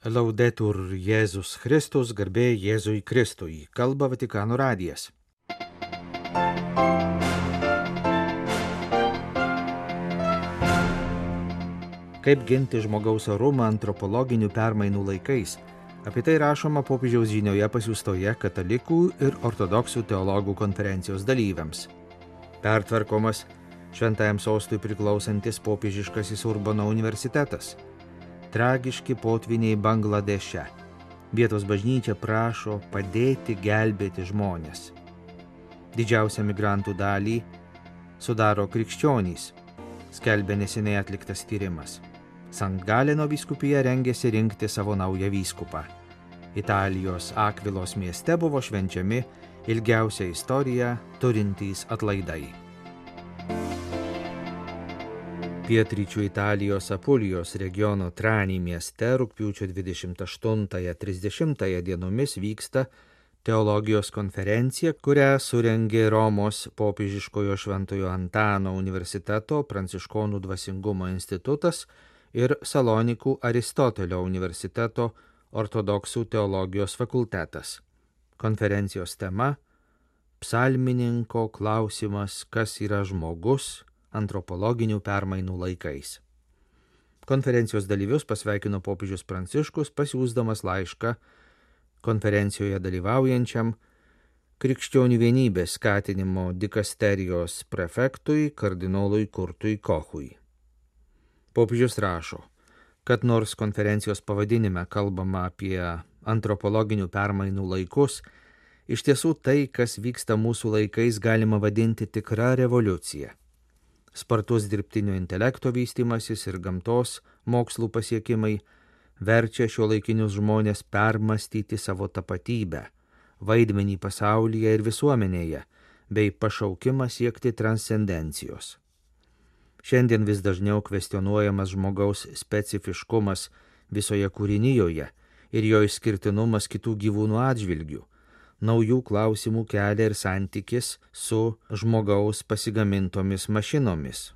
Laudetur Jėzus Kristus, garbė Jėzui Kristui, kalba Vatikano radijas. Kaip ginti žmogaus orumą antropologinių permainų laikais? Apie tai rašoma popiežiaus žinioje pasiųstoje katalikų ir ortodoksų teologų konferencijos dalyviams. Pertvarkomas šventajam sostui priklausantis popiežiškasis Urbono universitetas. Tragiški potviniai Bangladeše. Vietos bažnyčia prašo padėti gelbėti žmonės. Didžiausią migrantų dalį sudaro krikščionys, skelbia neseniai atliktas tyrimas. Sankt Galeno vyskupija rengėsi rinkti savo naują vyskupą. Italijos Akvilos mieste buvo švenčiami ilgiausią istoriją turintys atlaidai. Pietryčių Italijos Apulijos regiono Trani mieste rugpjūčio 28-30 dienomis vyksta teologijos konferencija, kurią surengė Romos popiežiškojo Šventojo Antano universiteto Pranciškonų dvasingumo institutas ir Salonikų Aristotelio universiteto ortodoksų teologijos fakultetas. Konferencijos tema – Psalmininko klausimas, kas yra žmogus antropologinių permainų laikais. Konferencijos dalyvius pasveikino popiežius Pranciškus, pasiųsdamas laišką konferencijoje dalyvaujančiam krikščionių vienybės skatinimo dikasterijos prefektui kardinolui Kurtui Kochui. Popiežius rašo, kad nors konferencijos pavadinime kalbama apie antropologinių permainų laikus, iš tiesų tai, kas vyksta mūsų laikais, galima vadinti tikra revoliucija. Spartus dirbtinio intelekto vystymasis ir gamtos mokslų pasiekimai verčia šiuolaikinius žmonės permastyti savo tapatybę, vaidmenį pasaulyje ir visuomenėje, bei pašaukimą siekti transcendencijos. Šiandien vis dažniau kvestionuojamas žmogaus specifiškumas visoje kūrinijoje ir jo išskirtinumas kitų gyvūnų atžvilgių. Naujų klausimų kelia ir santykis su žmogaus pasigamintomis mašinomis.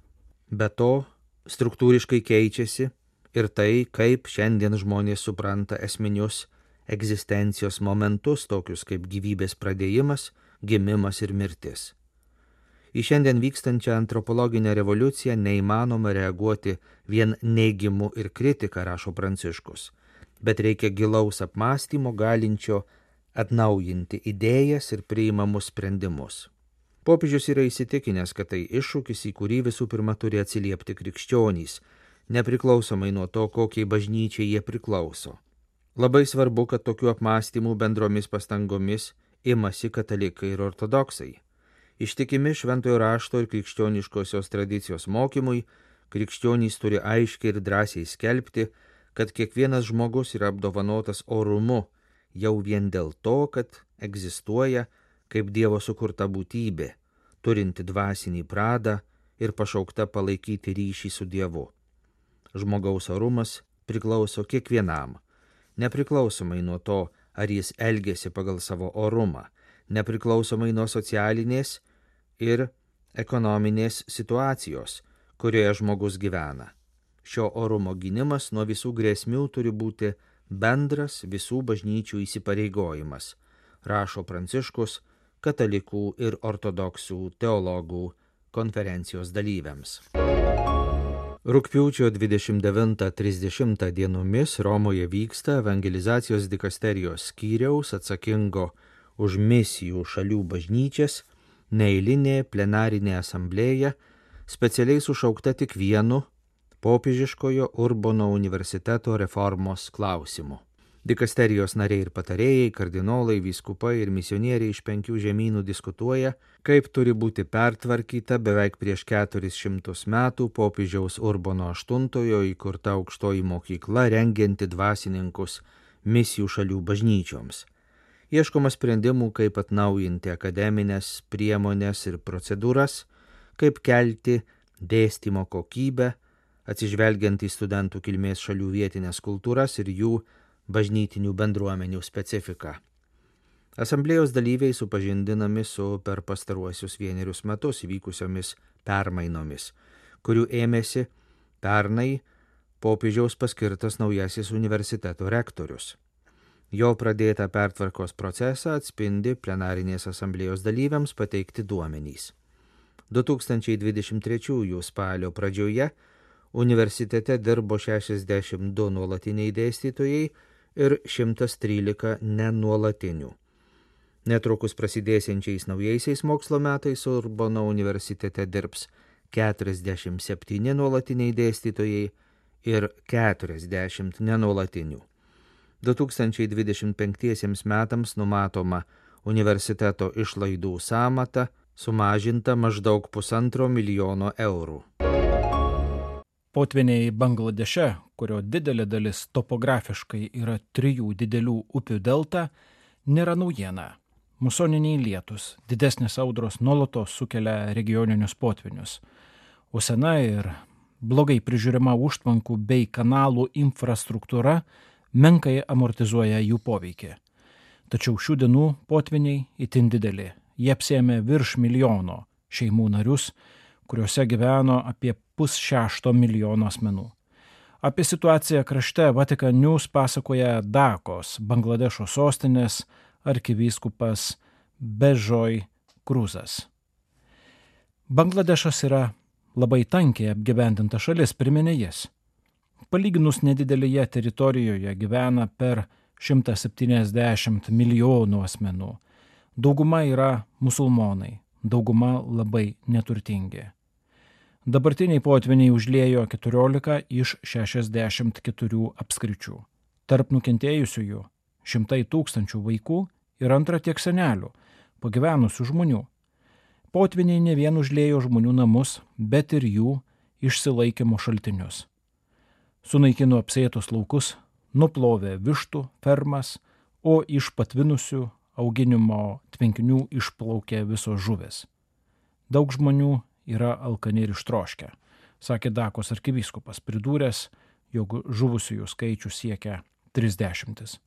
Be to, struktūriškai keičiasi ir tai, kaip šiandien žmonės supranta esminius egzistencijos momentus, tokius kaip gyvybės pradėjimas, gimimas ir mirtis. Į šiandien vykstančią antropologinę revoliuciją neįmanoma reaguoti vien neigimu ir kritika, rašo Pranciškus, bet reikia gilaus apmąstymo galinčio atnaujinti idėjas ir priimamus sprendimus. Popiežius yra įsitikinęs, kad tai iššūkis, į kurį visų pirma turi atsiliepti krikščionys, nepriklausomai nuo to, kokiai bažnyčiai jie priklauso. Labai svarbu, kad tokių apmąstymų bendromis pastangomis imasi katalikai ir ortodoksai. Ištikimi šventojo rašto ir krikščioniškosios tradicijos mokymui, krikščionys turi aiškiai ir drąsiai skelbti, kad kiekvienas žmogus yra apdovanotas orumu, jau vien dėl to, kad egzistuoja kaip Dievo sukurta būtybė, turinti dvasinį pradą ir pašaukta palaikyti ryšį su Dievu. Žmogaus orumas priklauso kiekvienam, nepriklausomai nuo to, ar jis elgiasi pagal savo orumą, nepriklausomai nuo socialinės ir ekonominės situacijos, kurioje žmogus gyvena. Šio orumo gynimas nuo visų grėsmių turi būti bendras visų bažnyčių įsipareigojimas, rašo Pranciškus katalikų ir ortodoksų teologų konferencijos dalyviams. Rugpjūčio 29-30 dienomis Romoje vyksta evangelizacijos dikasterijos skyriaus atsakingo už misijų šalių bažnyčias neeilinė plenarinė asamblėja, specialiai sušaukta tik vienu popiežiškojo Urbono universiteto reformos klausimu. Dikasterijos nariai ir patarėjai, kardinolai, vyskupai ir misionieriai iš 5 žemynų diskutuoja, kaip turi būti pertvarkyta beveik prieš 400 metų popiežiaus Urbono VIII įkurta aukštoji mokykla rengianti dvasininkus misijų šalių bažnyčioms. Ieškoma sprendimų, kaip atnaujinti akademinės priemonės ir procedūras, kaip kelti dėstymo kokybę, atsižvelgiant į studentų kilmės šalių vietinės kultūras ir jų bažnytinių bendruomenių specifiką. Asamblėjos dalyviai supažindinami su per pastaruosius 1 metus įvykusiomis permainomis, kurių ėmėsi pernai popiežiaus paskirtas naujasis universiteto rektorius. Jo pradėtą pertvarkos procesą atspindi plenarinės asamblėjos dalyviams pateikti duomenys. 2023 spalio pradžioje universitete dirbo 62 nuolatiniai dėstytojai ir 113 nenuolatinių. Netrukus prasidėsiančiais naujaisiais mokslo metais Urbono universitete dirbs 47 nuolatiniai dėstytojai ir 40 nenuolatinių. 2025 metams numatoma universiteto išlaidų sąmata sumažinta maždaug 1,5 milijono eurų. Potvyniai Bangladeše, kurio didelė dalis topografiškai yra 3 didelių upių delta, nėra naujiena. Musoniniai lietus, didesnės audros nuolatos sukelia regioninius potvynius, o sena ir blogai prižiūrima užtvankų bei kanalų infrastruktūra menkai amortizuoja jų poveikį. Tačiau šių dienų potvyniai itin dideli. Jie apsėmė virš milijono šeimų narius, kuriuose gyveno apie 5,6 milijono asmenų. Apie situaciją krašte Vatican News pasakoja Dakos, Bangladešo sostinės arkivyskupas Bežoj Kruzas. Bangladešas yra labai tankiai apgyvendinta šalis, priminė jis. Palyginus nedidelėje teritorijoje gyvena per 170 milijonų asmenų. Dauguma yra musulmonai, dauguma labai neturtingi. Dabartiniai potvyniai užliejo 14 iš 64 apskričių. Tarp nukentėjusiųjų 100 tūkstančių vaikų ir antra tiek senelių, pagyvenusių žmonių. Potvyniai ne vien užliejo žmonių namus, bet ir jų išsilaikymo šaltinius. Sunaikino apsėtus laukus, nuplovė vištų fermas, o iš patvinusių auginimo tvenkinių išplaukė visos žuvys. Daug žmonių yra alkani ir ištroškę, sakė Dakos arkivyskupas, pridūręs, jog žuvusiųjų skaičius siekia 30.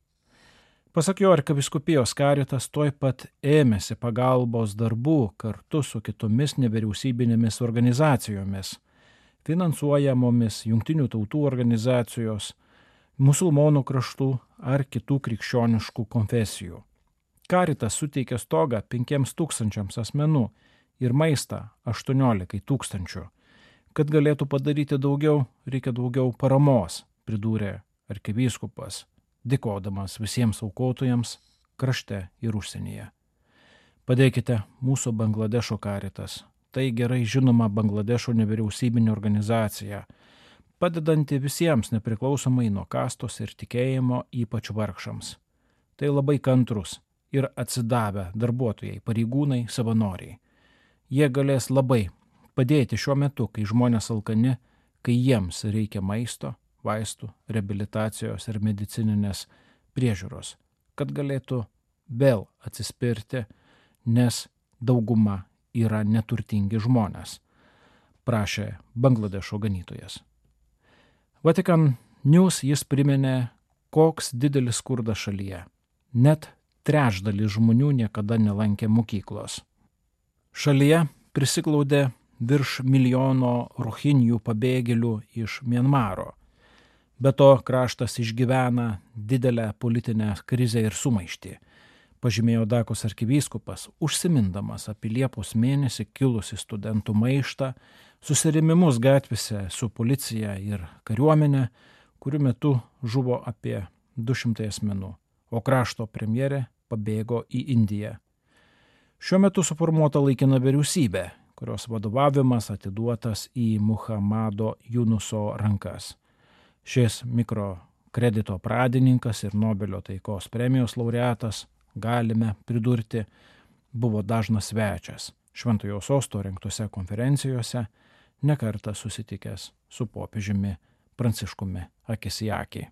Pasak jo, arkivyskupijos karitas tuoj pat ėmėsi pagalbos darbų kartu su kitomis nevyriausybinėmis organizacijomis, finansuojamomis Jungtinių tautų organizacijos, musulmonų kraštų ar kitų krikščioniškų konfesijų. Karitas suteikė stogą 5,000 asmenų ir maistą 18 000. Kad galėtų padaryti daugiau, reikia daugiau paramos, pridūrė arkivyskupas, dėkodamas visiems aukotojams krašte ir užsienyje. Padėkite mūsų Bangladešo karitas. Tai gerai žinoma Bangladešo nevyriausybinė organizacija, padedanti visiems nepriklausomai nuo kastos ir tikėjimo, ypač vargšams. Tai labai kantrus ir atsidavę darbuotojai, pareigūnai, savanoriai. Jie galės labai padėti šiuo metu, kai žmonės alkani, kai jiems reikia maisto, vaistų, reabilitacijos ir medicininės priežiūros, kad galėtų vėl atsispirti, nes dauguma yra neturtingi žmonės, prašė Bangladešo ganytojas. Vatican News jis priminė, koks didelis skurdas šalyje. Net trečdalis žmonių niekada nelankė mokyklos. Šalyje prisiglaudė virš milijono rohinjų pabėgėlių iš Mianmaro. Be to kraštas išgyvena didelę politinę krizę ir sumaištį, pažymėjo Dakos arkivyskupas, užsimindamas apie Liepos mėnesį kilusi studentų maištą, susirėmimus gatvėse su policija ir kariuomenė, kurių metu žuvo apie 200 asmenų, o krašto premjerė pabėgo į Indiją. Šiuo metu suformuota laikina vyriausybė, kurios vadovavimas atiduotas į Muhammado Yunuso rankas. Šis mikrokredito pradininkas ir Nobelio taikos premijos laureatas, galime pridurti, buvo dažnas svečias Šventojo Sosto rengtose konferencijose, nekartą susitikęs su popiežiumi Pranciškumi akis į akį.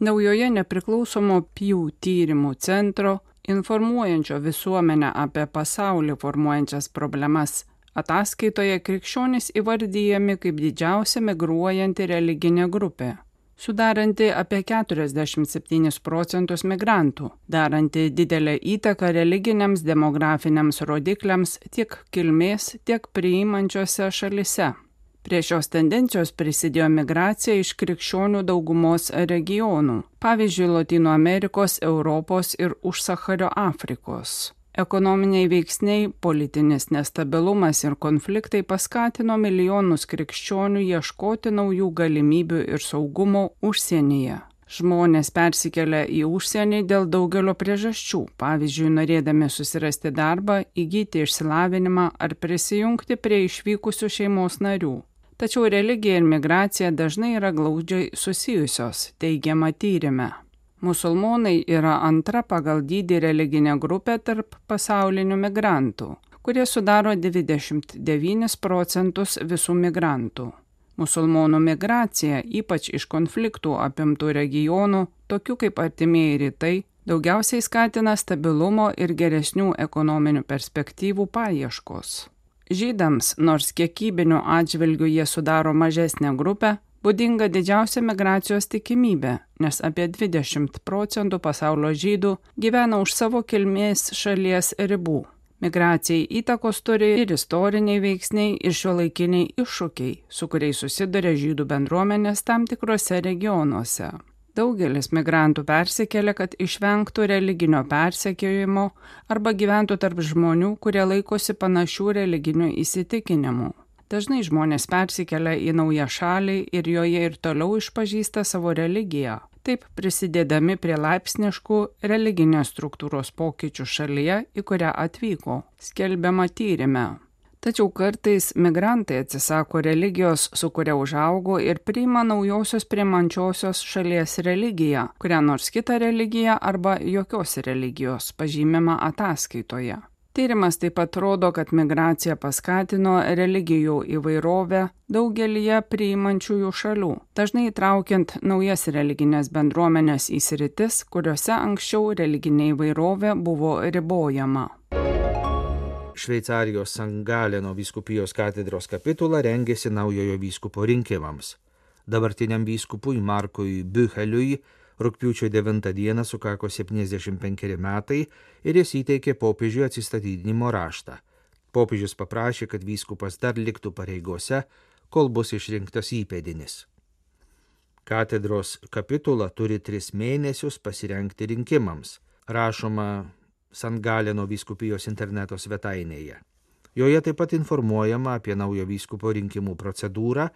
Naujoje nepriklausomo Pew tyrimų centro, informuojančio visuomenę apie pasaulį formuojančias problemas, ataskaitoje krikščionys įvardyjami kaip didžiausia migruojanti religinė grupė, sudaranti apie 47% migrantų, daranti didelę įtaką religiniams demografiniams rodikliams tiek kilmės, tiek priimančiose šalise. Prie šios tendencijos prisidėjo migracija iš krikščionių daugumos regionų, pavyzdžiui, Lotynų Amerikos, Europos ir užsachario Afrikos. Ekonominiai veiksniai, politinis nestabilumas ir konfliktai paskatino milijonus krikščionių ieškoti naujų galimybių ir saugumo užsienyje. Žmonės persikelia į užsienį dėl daugelio priežasčių, pavyzdžiui, norėdami susirasti darbą, įgyti išsilavinimą ar prisijungti prie išvykusių šeimos narių. Tačiau religija ir migracija dažnai yra glaudžiai susijusios, teigiama tyrime. Musulmonai yra antra pagal dydį religinė grupė tarp pasaulinių migrantų, kurie sudaro 29% visų migrantų. Musulmonų migracija, ypač iš konfliktų apimtų regionų, tokių kaip Artimieji rytai, daugiausiai skatina stabilumo ir geresnių ekonominių perspektyvų paieškos. Žydams, nors kiekybiniu atžvilgiu jie sudaro mažesnę grupę, būdinga didžiausia migracijos tikimybė, nes apie 20% pasaulio žydų gyvena už savo kilmės šalies ribų. Migracijai įtakos turi ir istoriniai veiksniai, ir šiuolaikiniai iššūkiai, su kuriais susiduria žydų bendruomenės tam tikrose regionuose. Daugelis migrantų persikelia, kad išvengtų religinio persekiojimo arba gyventų tarp žmonių, kurie laikosi panašių religinių įsitikinimų. Dažnai žmonės persikelia į naują šalį ir joje ir toliau išpažįsta savo religiją, taip prisidėdami prie laipsniškų religinės struktūros pokyčių šalyje, į kurią atvyko, skelbiama tyrime. Tačiau kartais migrantai atsisako religijos, su kuria užaugo ir priima naujosios priimančiosios šalies religiją, kurią nors kitą religiją arba jokios religijos, pažymima ataskaitoje. Tyrimas taip pat rodo, kad migracija paskatino religijų įvairovę daugelyje priimančiųjų šalių, dažnai įtraukiant naujas religinės bendruomenės į sritis, kuriuose anksčiau religinė įvairovė buvo ribojama. Šveicarijos San Galeno vyskupijos katedros kapitula rengėsi naujojo vyskupo rinkimams. Dabartiniam vyskupui Markui Bücheliui rugpjūčio 9 dieną sukako 75 metai ir jis įteikė popiežiui atsistatydinimo raštą. Popiežius paprašė, kad vyskupas dar liktų pareigose, kol bus išrinktas įpėdinis. Katedros kapitula turi 3 mėnesius pasirengti rinkimams, rašoma San Galeno vyskupijos interneto svetainėje. Joje taip pat informuojama apie naujo vyskupo rinkimų procedūrą,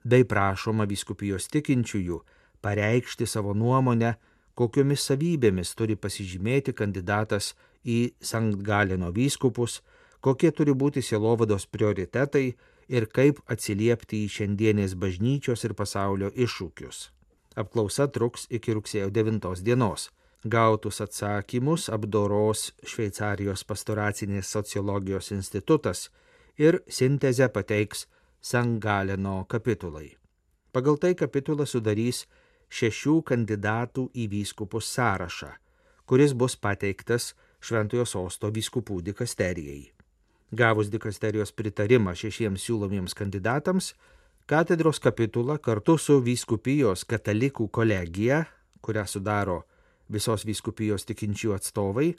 bei prašoma vyskupijos tikinčiųjų pareikšti savo nuomonę, kokiomis savybėmis turi pasižymėti kandidatas į San Galeno vyskupus, kokie turi būti sielovados prioritetai ir kaip atsiliepti į šiandienės bažnyčios ir pasaulio iššūkius. Apklausa truks iki rugsėjo 9 dienos. Gautus atsakymus apdoros Šveicarijos pastoracinės sociologijos institutas ir sintezę pateiks San Galeno kapitulai. Pagal tai kapitula sudarys 6 kandidatų į vyskupus sąrašą, kuris bus pateiktas Šventojo Sosto vyskupų dikasterijai. Gavus dikasterijos pritarimą 6 siūlomiems kandidatams, katedros kapitula kartu su vyskupijos katalikų kolegija, kurią sudaro visos vyskupijos tikinčių atstovai,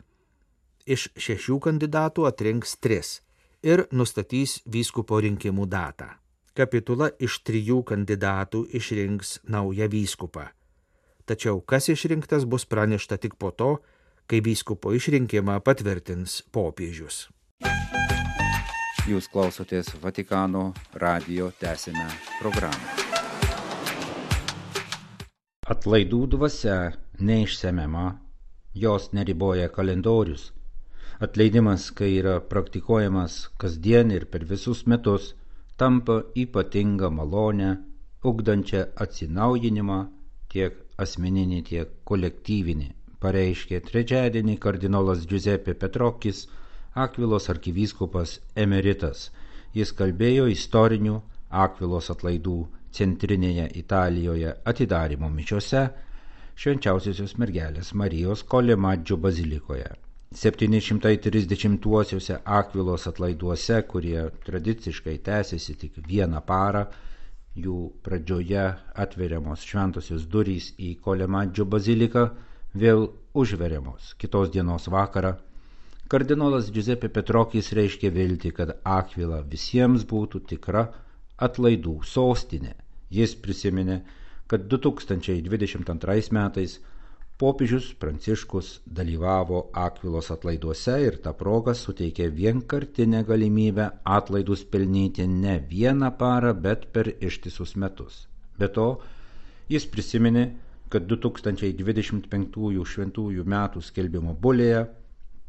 iš 6 kandidatų atrinks 3 ir nustatys vyskupo rinkimų datą. Kapitula iš 3 kandidatų išrinks naują vyskupą. Tačiau kas išrinktas bus pranešta tik po to, kai vyskupo išrinkimą patvirtins popiežius. Jūs klausotės Vatikano radijo tęsinę programą. Atlaidų dvasia neišsemiama, jos neriboja kalendorius. Atleidimas, kai yra praktikuojamas kasdien ir per visus metus, tampa ypatinga malonė, ugdančia atsinaujinimą tiek asmeninį, tiek kolektyvinį, pareiškė trečiadienį kardinolas Giuseppe Petrokis, Akvilos arkivyskupas emeritas. Jis kalbėjo istorinių Akvilos atlaidų centrinėje Italijoje atidarymo mišiose Švenčiausiosios mergelės Marijos Kolemaggio bazilikoje. 730-uosiuose Akvilos atlaiduose, kurie tradiciškai tęsiasi tik 1 parą, jų pradžioje atveriamos šventosios durys į Kolemaggio baziliką, vėl užveriamos kitos dienos vakarą. Kardinolas Giuseppe Petrokis reiškė viltį, kad Akvila visiems būtų tikra atlaidų sostinė. Jis prisiminė, kad 2022 metais popiežius Pranciškus dalyvavo Akvilos atlaiduose ir ta proga suteikė vienkartinę galimybę atlaidus pelnyti ne vieną parą, bet per ištisus metus. Be to, jis prisiminė, kad 2025 šventųjų metų skelbimo bulėje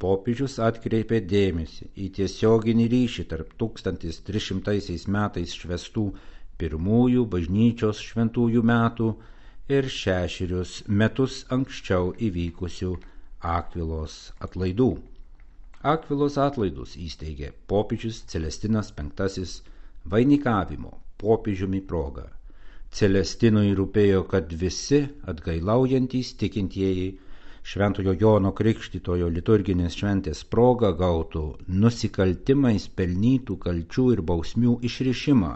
popiežius atkreipė dėmesį į tiesioginį ryšį tarp 1300 metais švęstų pirmųjų bažnyčios šventųjų metų ir 6 metus anksčiau įvykusių Akvilos atlaidų. Akvilos atlaidus įsteigė popiežius Celestinas V vainikavimo popiežiumi proga. Celestinui rūpėjo, kad visi atgailaujantys tikintieji Šventojo Jono Krikštytojo liturginės šventės proga gautų nusikaltimais pelnytų kalčių ir bausmių išrišimą,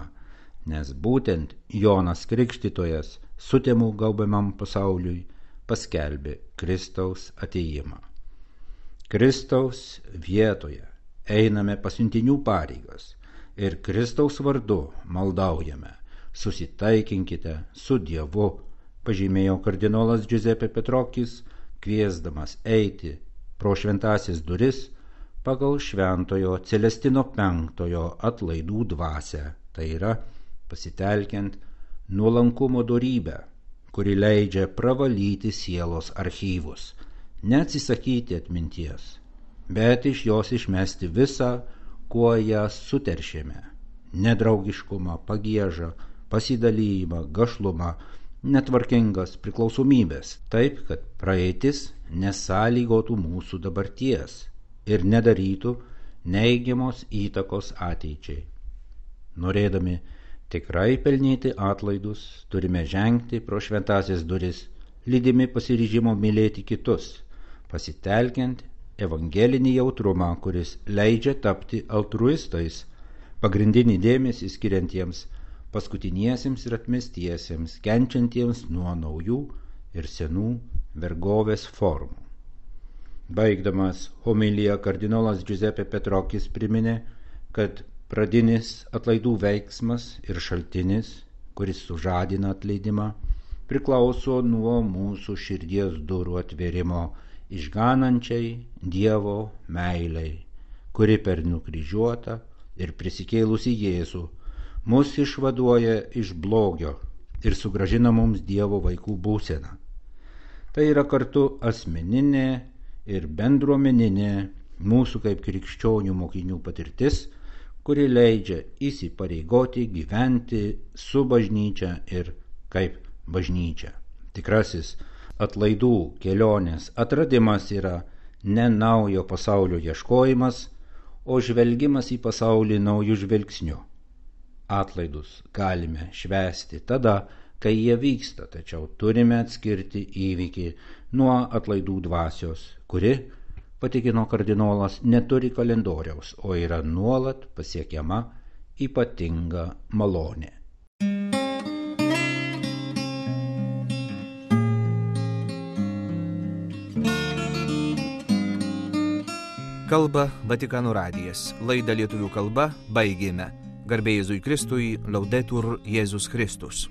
nes būtent Jonas Krikštytojas sutemų gaubiamam pasauliui paskelbė Kristaus atėjimą. Kristaus vietoje einame pasiuntinių pareigas ir Kristaus vardu maldaujame: susitaikinkite su Dievu, pažymėjo kardinolas Giuseppe Petrokis, kviesdamas eiti pro šventąsias duris pagal Šventojo Celestino V atlaidų dvasią, tai yra pasitelkiant nuolankumo dorybę, kuri leidžia pravalyti sielos archyvus, neatsisakyti atminties, bet iš jos išmesti visą, kuo ją suteršėme: nedraugiškumą, pagiežą, pasidalijimą, gašlumą, netvarkingas priklausomybės, taip, kad praeitis nesąlygotų mūsų dabarties ir nedarytų neigiamos įtakos ateičiai. Norėdami tikrai pelnyti atlaidus, turime žengti pro šventąsias duris, lydimi pasiryžimo mylėti kitus, pasitelkiant evangelinį jautrumą, kuris leidžia tapti altruistais, pagrindinį dėmesį skiriantiems paskutiniesiems ir atmestiesiems, kenčiantiems nuo naujų ir senų vergovės formų. Baigdamas homiliją kardinolas Giuseppe Petrokis priminė, kad pradinis atlaidų veiksmas ir šaltinis, kuris sužadina atleidimą, priklauso nuo mūsų širdies durų atvėrimo išganančiai Dievo meilei, kuri per nukryžiuotą ir prisikėlusį Jėzų mus išvaduoja iš blogio ir sugrąžina mums Dievo vaikų būseną. Tai yra kartu asmeninė ir bendruomeninė mūsų kaip krikščionių mokinių patirtis, kuri leidžia įsipareigoti gyventi su bažnyčia ir kaip bažnyčia. Tikrasis atlaidų kelionės atradimas yra ne naujo pasaulio ieškojimas, o žvelgimas į pasaulį naujų žvilgsnių. Atlaidus galime švęsti tada, kai jie vyksta, tačiau turime atskirti įvykį nuo atlaidų dvasios, kuri, patikino kardinolas, neturi kalendoriaus, o yra nuolat pasiekiama ypatinga malonė. Kalba Vatikano radijas. Laidą lietuvių kalba baigėme. Garbė Jėzui Kristui, Laudetur Jėzus Kristus.